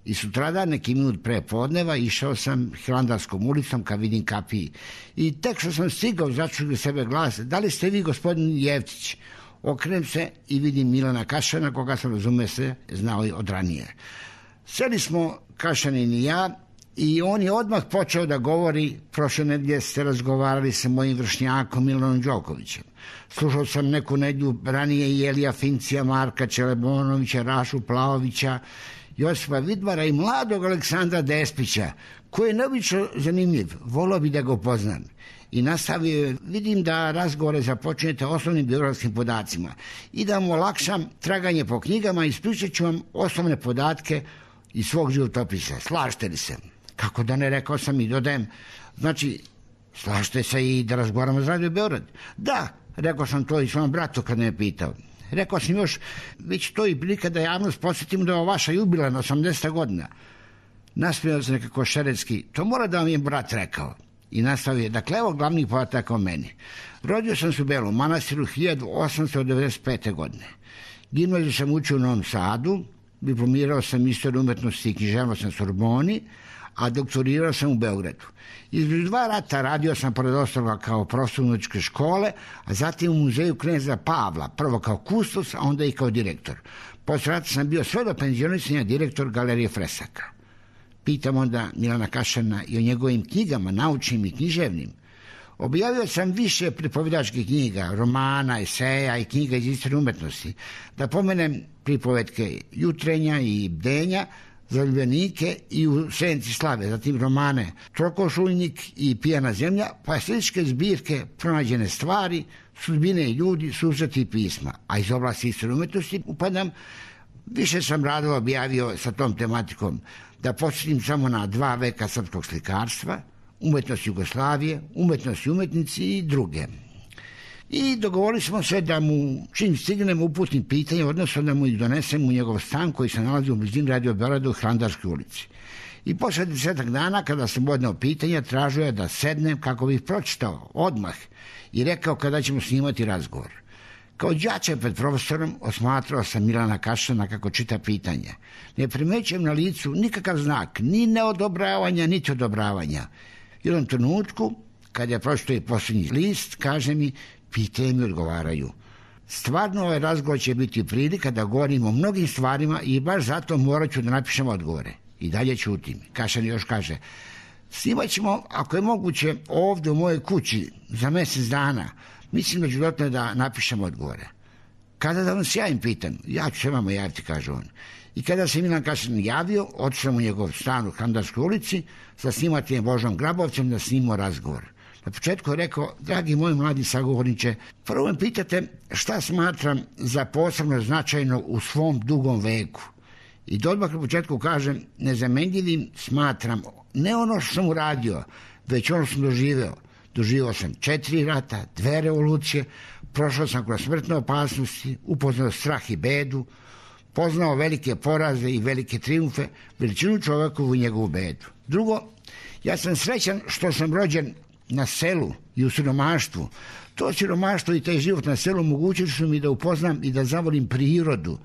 I sutradan, neki minut pre podneva, išao sam Hilandarskom ulicom ka Vidim Kapiji. I tek što sam stigao, začuli sebe glas, da li ste vi gospodin Jeftić? Okrenem se i vidim Milana Kašana, koga sam, razume se, znao i od ranije. Seli smo, Kašanin i ja, i on je odmah počeo da govori. Prošle nedelje ste razgovarali sa mojim vršnjakom Milanom Đokovićem. Slušao sam neku nedelju ranije i Elija Fincija, Marka Čelebonovića, Rašu Plaovića Josipa Vidmara i mladog Aleksandra Despića, koji je neobično zanimljiv, volio bi da ga upoznam. I nastavio, vidim da razgovore započinjete osnovnim biografskim podacima i da mu olakšam traganje po knjigama, ispričat ću vam osnovne podatke iz svog životopisa. Slažete li se? Kako da ne, rekao sam i dodajem, znači, slažete se i da razgovaramo za Radio Beograd? Da, rekao sam to i svom bratu kad me je pitao. Rekao sam još, već to i prilika da javnost posjetim da je vaša jubilarna 80. godina. Nasmijao se nekako šeretski, to mora da vam je brat rekao. I nastavio je, dakle, evo glavnih podataka o meni. Rodio sam se u Belom Manastiru 1895. godine. Gimnaziju sam učio u Novom Sadu, diplomirao sam istoriju umetnosti i književnost na Sorboni, a doktorirao sam u Beogradu. Između 2 rata radio sam pored ostaloga kao profesor muzičke škole, a zatim u muzeju kneza Pavla, prvo kao kustos, a onda i kao direktor. Posle rata sam bio sve do penzionisanja direktor Galerije Fresaka. Pitam onda Milana Kašana i o njegovim knjigama, naučnim i književnim. Objavio sam više pripovedačkih knjiga, romana, eseja i knjiga iz istorije umetnosti. Da pomenem pripovetke Jutrenja i Bdenja, Zaljubljenike i U senci slave, zatim romane Trokošuljnik i Pijana zemlja, pa sljedeće zbirke Pronađene stvari, Sudbine i ljudi, susreti i pisma. A iz oblasti istorije umetnosti upadam, više sam radova objavio sa tom tematikom. Da posjetim samo na 2 veka srpskog slikarstva, umetnost Jugoslavije, umetnost i umetnici i druge. I dogovorili smo se da mu, čim stignemo, uputim pitanje, odnosno da mu ih donesem u njegov stan koji se nalazi u blizini Radio Beograda u Hrandarskoj ulici. I posle 10 dana, kada sam odneo pitanja, tražio je da sednem kako bih pročitao odmah i rekao kada ćemo snimati razgovor. Kao đače pred profesorom osmatrao sam Milana Kašana kako čita pitanja. Ne primećujem na licu nikakav znak, ni neodobravanja, niti odobravanja. U jednom trenutku, kad je pročitao i posljednji list, kaže mi, pitanje mi odgovaraju. Stvarno ovaj razgovor će biti prilika da govorim o mnogim stvarima i baš zato morat ću da napišem odgovore. I dalje ćutim. Kašan još kaže, snimat ćemo, ako je moguće, ovdje u mojoj kući za mjesec dana. Mislim da ću dotle da napišem odgovore. Kada da vam se javim, pitam, ja ću se vama javiti, kaže on. I kada se Milan Kašan javio, otišao u njegov stan u Hrandarskoj ulici sa snimateljem Božom Grabovcem da snimamo razgovor. Na početku je rekao, dragi moj mladi sagovorniče, prvo me pitate šta smatram za posebno značajno u svom dugom veku. I da odmah na početku kažem, nezamenljivim smatram ne ono što sam uradio, već ono što sam doživeo. Doživio sam 4 rata, 2 revolucije, prošao sam kroz smrtne opasnosti, upoznao strah i bedu, poznao velike poraze i velike triumfe, veličinu čovekovu i njegovu bedu. Drugo, ja sam srećan što sam rođen na selu i u siromaštvu. To siromaštvo i taj život na selu omogućili su mi da upoznam i da zavolim prirodu,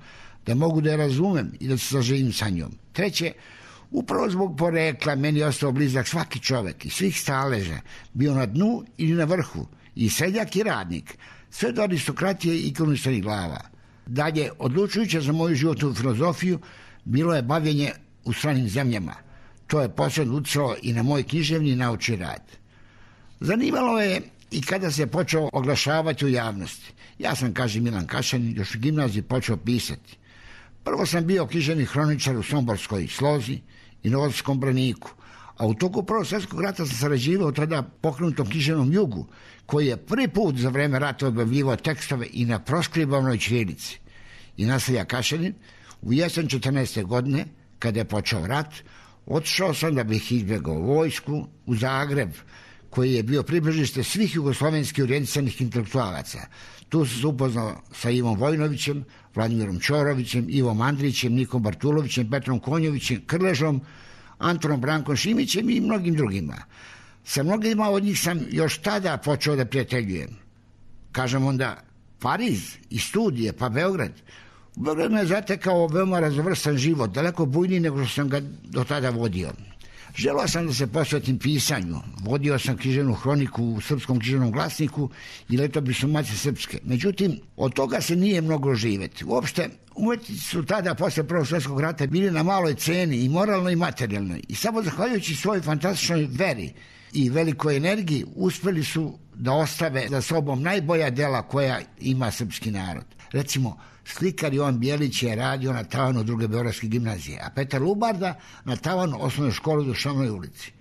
da mogu da je razumem i da se saživim sa njom. Treće, upravo zbog porekla meni je ostao blizak svaki čovek i svih staleža, bio na dnu ili na vrhu, i seljak i radnik, sve do aristokratije i kruničanih glava. Dalje, odlučujuće za moju životnu filozofiju bilo je bavljenje u stranim zemljama. To je posebno utjecalo i na moj književni i naučni rad. Zanimalo je i kada se počeo oglašavati u javnosti. Ja sam, kaže Milan Kašan, još u gimnaziji počeo pisati. Prvo sam bio književni hroničar u Somborskoj Slozi i Novosadskom Braniku, a u toku Prvog svjetskog rata sam sarađivao tada pokrenutom književnom Jugu, koji je prvi put za vreme rata objavljivao tekstove i na proskribovanoj ćirilici. I nastavlja Kašanin, u jesen 14. godine, kada je počeo rat, otišao sam da bih izbjegao vojsku u Zagreb, koji je bio približište svih jugoslovenskih orijentisanih intelektualaca. Tu sam se upoznao sa Ivom Vojnovićem, Vladimirom Ćorovićem, Ivom Andrićem, Nikom Bartulovićem, Petrom Konjovićem, Krležom, Antonom Brankom Šimićem i mnogim drugima. Sa mnogima od njih sam još tada počeo da prijateljujem. Kažem onda Pariz i studije, pa Beograd. U Beogradu me je zatekao veoma razvrstan život, daleko bujniji nego što sam ga do tada vodio. Želeo sam da se posvetim pisanju. Vodio sam književnu hroniku u Srpskom književnom glasniku i letopisu Matice Srpske. Međutim, od toga se nije moglo živjeti. Uopšte, umetnici su tada, posle Prvog svjetskog rata, bili na maloj ceni i moralnoj i materijalnoj. I samo zahvaljujući svojoj fantastičnoj veri i velikoj energiji uspeli su da ostave za sobom najbolja dela koja ima srpski narod. Recimo, slikar Jovan Bjelić je radio na tavanu Druge beogradske gimnazije, a Petar Lubarda na tavanu osnovne škole u Dušanoj ulici.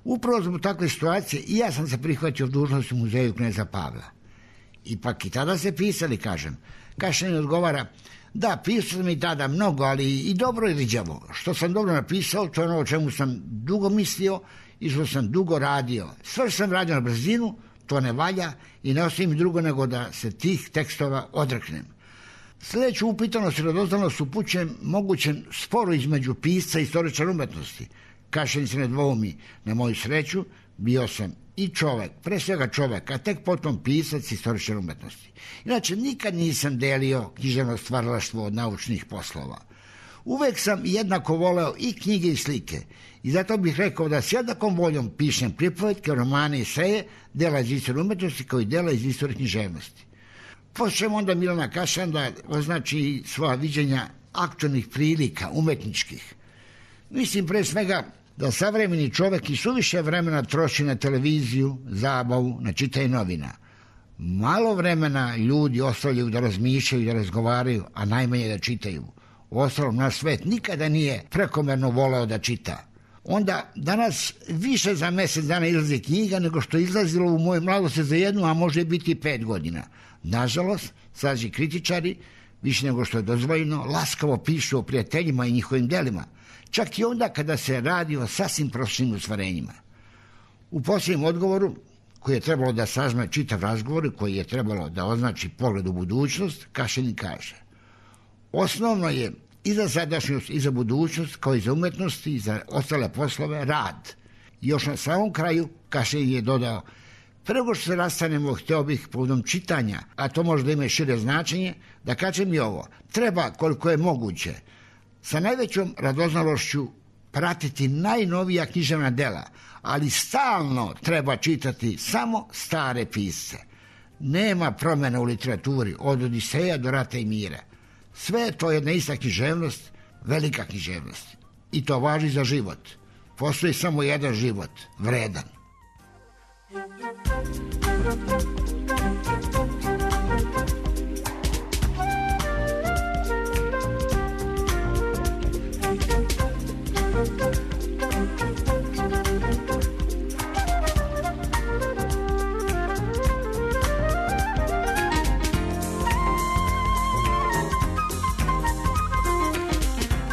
Upravo zbog takve situacije i ja sam se prihvatio dužnosti u muzeju kneza Pavla. Ipak i tada se pisali, kažem. Kašanin odgovara, da, pisao sam i tada mnogo, ali i dobro i riđavo. Što sam dobro napisao, to je ono o čemu sam dugo mislio i što sam dugo radio. Sve što sam radio na brzinu, to ne valja i ne ostaje mi drugo nego da se tih tekstova odreknem. Sljedeću upitanost i radoznalost upućujem mogućem sporu između pisca i istoričara umetnosti. Kašanin se ne dvoumi, na moju sreću, bio sam i čovek, pre svega čovek, a tek potom pisac i istoričar umetnosti. Inače, nikad nisam delio književno stvaralaštvo od naučnih poslova. Uvek sam jednako voleo i knjige i slike i zato bih rekao da s jednakom voljom pišem pripovetke, romane i eseje, dela iz istorije umetnosti kao i dela iz istorije književnosti. Počnem onda Milana Kašan da označi svoja viđenja aktualnih prilika, umetničkih. Mislim pre svega da savremeni čovek i suviše vremena troši na televiziju, zabavu, na čitanje novina. Malo vremena ljudi ostavljaju da razmišljaju, da razgovaraju, a najmanje da čitaju. Uostalom, naš svet nikada nije prekomerno voleo da čita. Onda danas više za mesec dana izlazi knjiga nego što je izlazilo u mojoj mladosti za 1, a može biti 5 godina. Nažalost, sađi kritičari, više nego što je dozvoljeno, laskavo pišu o prijateljima i njihovim delima. Čak i onda kada se radi o sasvim prosječnim ostvarenjima. U posljednjem odgovoru, koji je trebalo da sažme čitav razgovor i koji je trebalo da označi pogled u budućnost, Kašanin kaže: osnovno je i za sadašnjost i za budućnost, kao i za umetnosti i za ostale poslove, rad. I još na samom kraju Kašanin je dodao: prego što se rastanemo, hteo bih povodom čitanja, a to može da ima šire značenje, da kažem i ovo: treba koliko je moguće sa najvećom radoznalošću pratiti najnovija književna dela, ali stalno treba čitati samo stare pisce. Nema promjena u literaturi, od Odiseja do Rata i mira. Sve je to jedna ista književnost, velika književnost. I to važi za život. Postoji samo jedan život, vredan.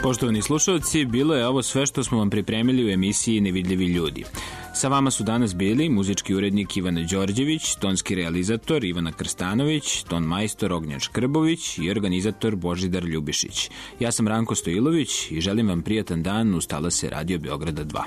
Poštovani slušalci, bilo je ovo sve što smo vam pripremili u emisiji Nevidljivi ljudi. Sa vama su danas bili muzički urednik Ivana Đorđević, tonski realizator Ivana Krstanović, ton majstor Ognjan Škrbović i organizator Božidar Ljubišić. Ja sam Ranko Stojilović i želim vam prijatan dan uz talase Radio Beograda 2.